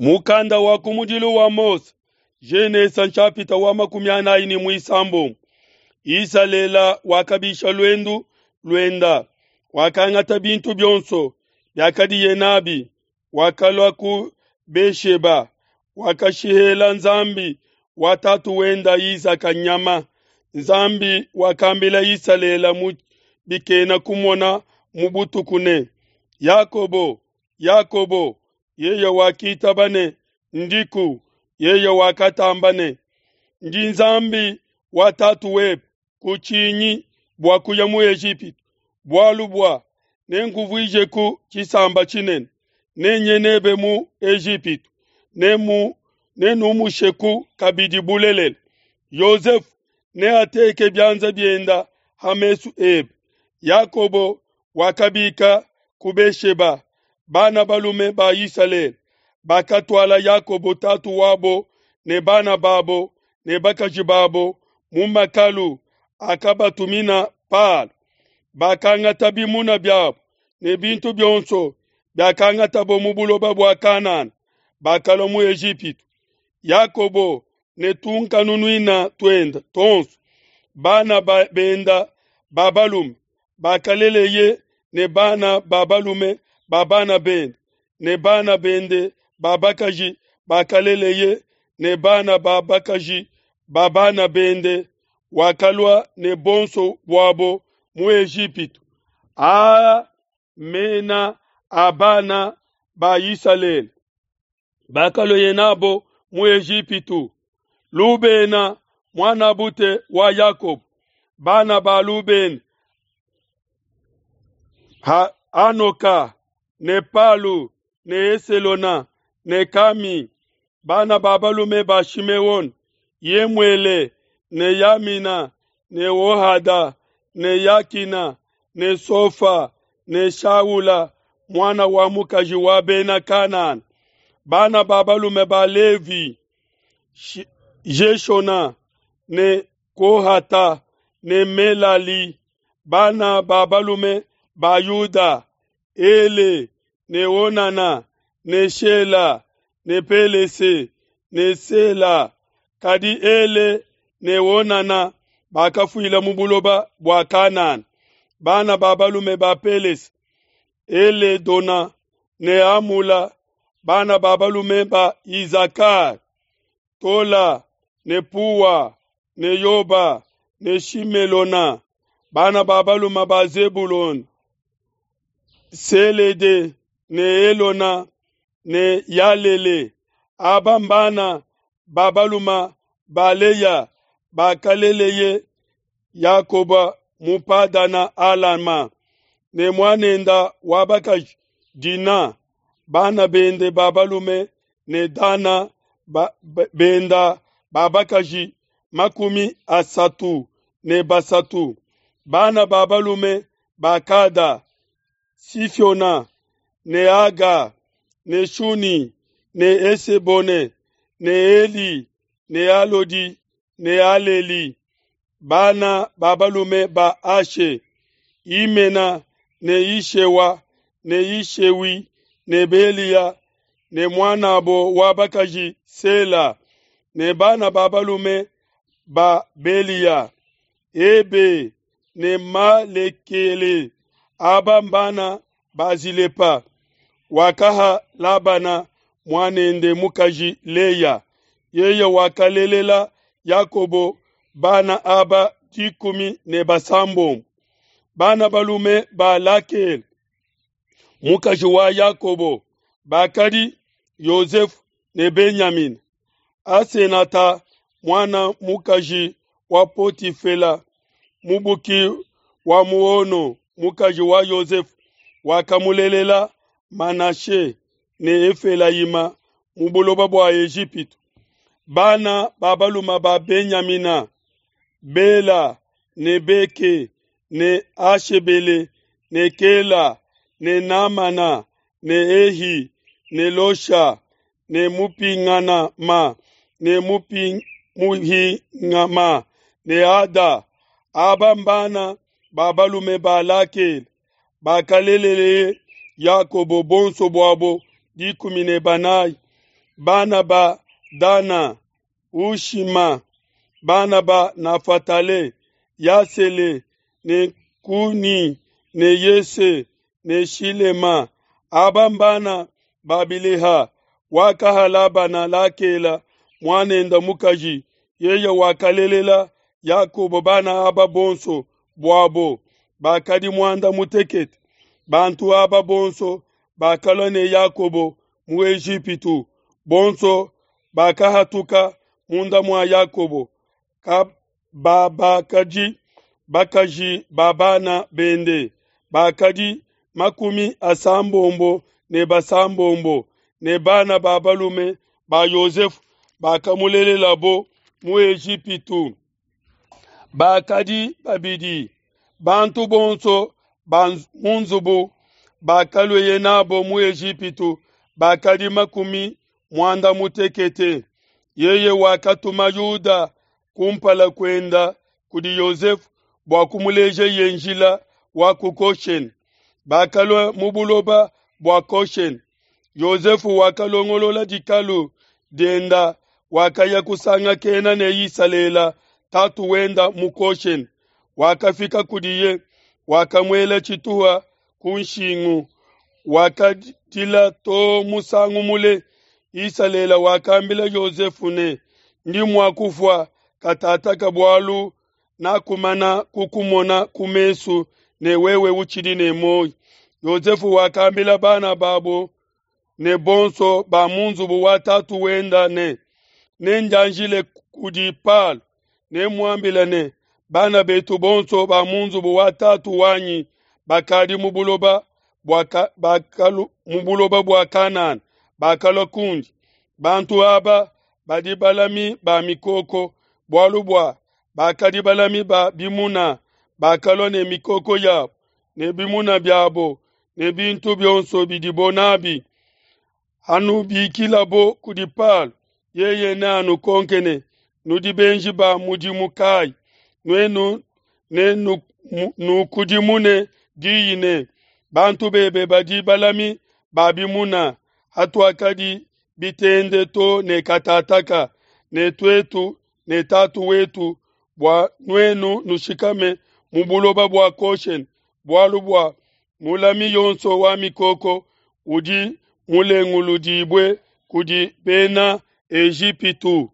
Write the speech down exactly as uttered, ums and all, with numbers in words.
Mukanda wa kumudilu wa Mose, Genesa nshapita wa makumi anayi ne muisambombo. Isalela wakabisha luendu luenda, wakangata bintu bionso biakadiye nabi, wakalua ku Besheba, wakashihela Nzambi wa tatu wenda Isaka nyama. Nzambi wakambila Isalela mu bikena kumona mu butuku ne, Yakobo, Yakobo, yeye wakitaba ne, Ndiku. Yeye wakatamba ne, Ndi Nzambi wa tatu webe, kutshinyi bua kuya mu Ejipitu, bualu bua nenkuvuijeku tshisamba tshinene, nenye nebe mu Ejipitu, nemu nenumusheku kabidi bulelela. Yosefu neateke bianza bienda ha mesu ebe. Yakobo wakabika ku Besheba, bana balume ba Isalele bakatuala Yakobo tatu wabo ne bana babo ne bakaji babo mu makalu akabatumina Palo. Bakangata bimuna biabo ne bintu bionso biakangatabo mu buloba bua Kanana, bakalua mu Ejipitu. Yakobo ne tunkanunuina tuenda tonso, bana ba benda ba balume bakaleleye ne bana ba balume ba bana bende ne bana bende ba bakaji bakaleleye ne bana ba bakaji ba bana bende, wakalua ne bonso buabo mu Ejipitu. Aa mena a bana ba Isalele bakalua nabo mu Ejipitu: Lubena muanabute wa Yakobo, bana ba Lubena ha Anoka ne Palu ne Eselona ne Kami, bana ba balume ba Shimeon, Yemuele ne Yamina ne Ohada ne Yakina ne Sofa ne Shaula mwana wa mukaji wa bena Kanana, bana ba balume ba Levi, Jeshona ne Kohata ne Melali, bana ba balume ba Yuda, Ele ne Onana ne Shela ne Pelese ne Sela. Kadi Ele ne Onana bakafuila mu buloba bua Kanana. Bana ba balume ba Pelese, Ele Dona ne Amula, bana ba balume ba Izakar, Tola ne Puwa ne Yoba ne Shimelona, bana ba balume ba Zebulon, Selede ne Elona ne Yalele. Aba mbana ba balume ba Leya bakaleleye Yakoba mu Padana Alama ne muanenda wa bakaji Dina, bana bende ba balume ne Dana ba, benda ba bakaji makumi asatu ne basatu, bana ba balume ba Kada, Sifiona ne Aga ne Shuni ne Esebone ne Eli ne Alodi ne Aleli, bana ba balume ba Ashe, Imena ne Ishewa ne Ishewi ne Belia ne mwanabo wa bakaji Sela ne bana ba balume ba Belia, Ebe ne Malekele. Aba mbana ba Zilepa wakaha Labana mwanende mukaji Leya. Yeye wakalelela Yakobo bana aba dikumi ne basambombo. Bana balume ba Lakele mukaji wa Yakobo bakadi Yosefu ne Benyamina. Asenata mwana mukaji wa Potifela mubuki wa muono mukaji wa Yosefu wakamulelela Manashe ne Efelayima mu buloba bua Ejipitu. Bana ba balume ba Benyamina, Bela ne Beke ne Ashebele ne Kela ne Namana ne Ehi ne Losha ne Mupingana ma ne Muhingama ne Ada. Aba mbana ba balume ba Lakele bakalelele Yakobo bonso buabo dikumi ne banayi. Bana ba Dana, Ushima. Bana ba Nafatale, Yasele ne Kuni ne Yese ne Shilema. Aba mbana ba Bileha wakaha Labana Lakela muanenda mukaji, yeye wakalelela Yakobo bana aba bonso buabo bakadi muanda mutekete. Bantu aba bonso bakalua ne Yakobo mu Ejipitu, bonso bakahatuka munda mua Yakobo, kababakaji bakaji ba bana bende bakadi makumi asambombo ne basambombo, ne bana ba balume ba Yosefu bakamulelelabo mu Ejipitu bakadi babidi. Bantu bonso ba mu nzubu bakalueye nabo mu Ejipitu bakadi makumi muanda mutekete. Yeye wakatuma Yuda kumpala kuenda kudi Yosefu bua kumulejeye njila wa ku Goshene. Bakalua mu buloba bua Goshene. Yosefu wakalongolola dikalu dienda, wakaya kusangakena ne Isalele tatu wenda mu Goshene. Wakafika kudiye, wakamuela tshituha ku nshingu, wakadila to musangu mule. Isalele wakambila Yosefu ne, ndi mua kufua katataka bualu nakumana kukumona ku mesu ne wewe utshidi ne muoyo. Yosefu wakambila bana babo ne bonso ba mu nzubu wa tatu wenda ne, nendianjile kudi Palo, nemuambile ne, bana betu bonso ba mu nzubu wa tatu wanyi bakadi mu buloba bua bakalu mu buloba bua Kanana bakalua kundi. Bantu aba badi balami ba mikoko, bualu bua bakadi balami ba bimuna, bakalua ne mikoko yabo ne bimuna biabo ne bintu bionso bidibo nabi. Hanubikilabo kudi Palo, yeye neanukonke ne, nudi benji ba mudimu kayi? Nuenu ne nukudimune diyi ne, bantu bebe badi balami ba bimuna, hatuakadi bitende to ne katataka, ne tuetu ne tatu wetu, bua nuenu nushikame mu buloba bua Goshene, bualu bua mulami yonso wa mikoko udi mulenguludibue kudi bena Ejipitu.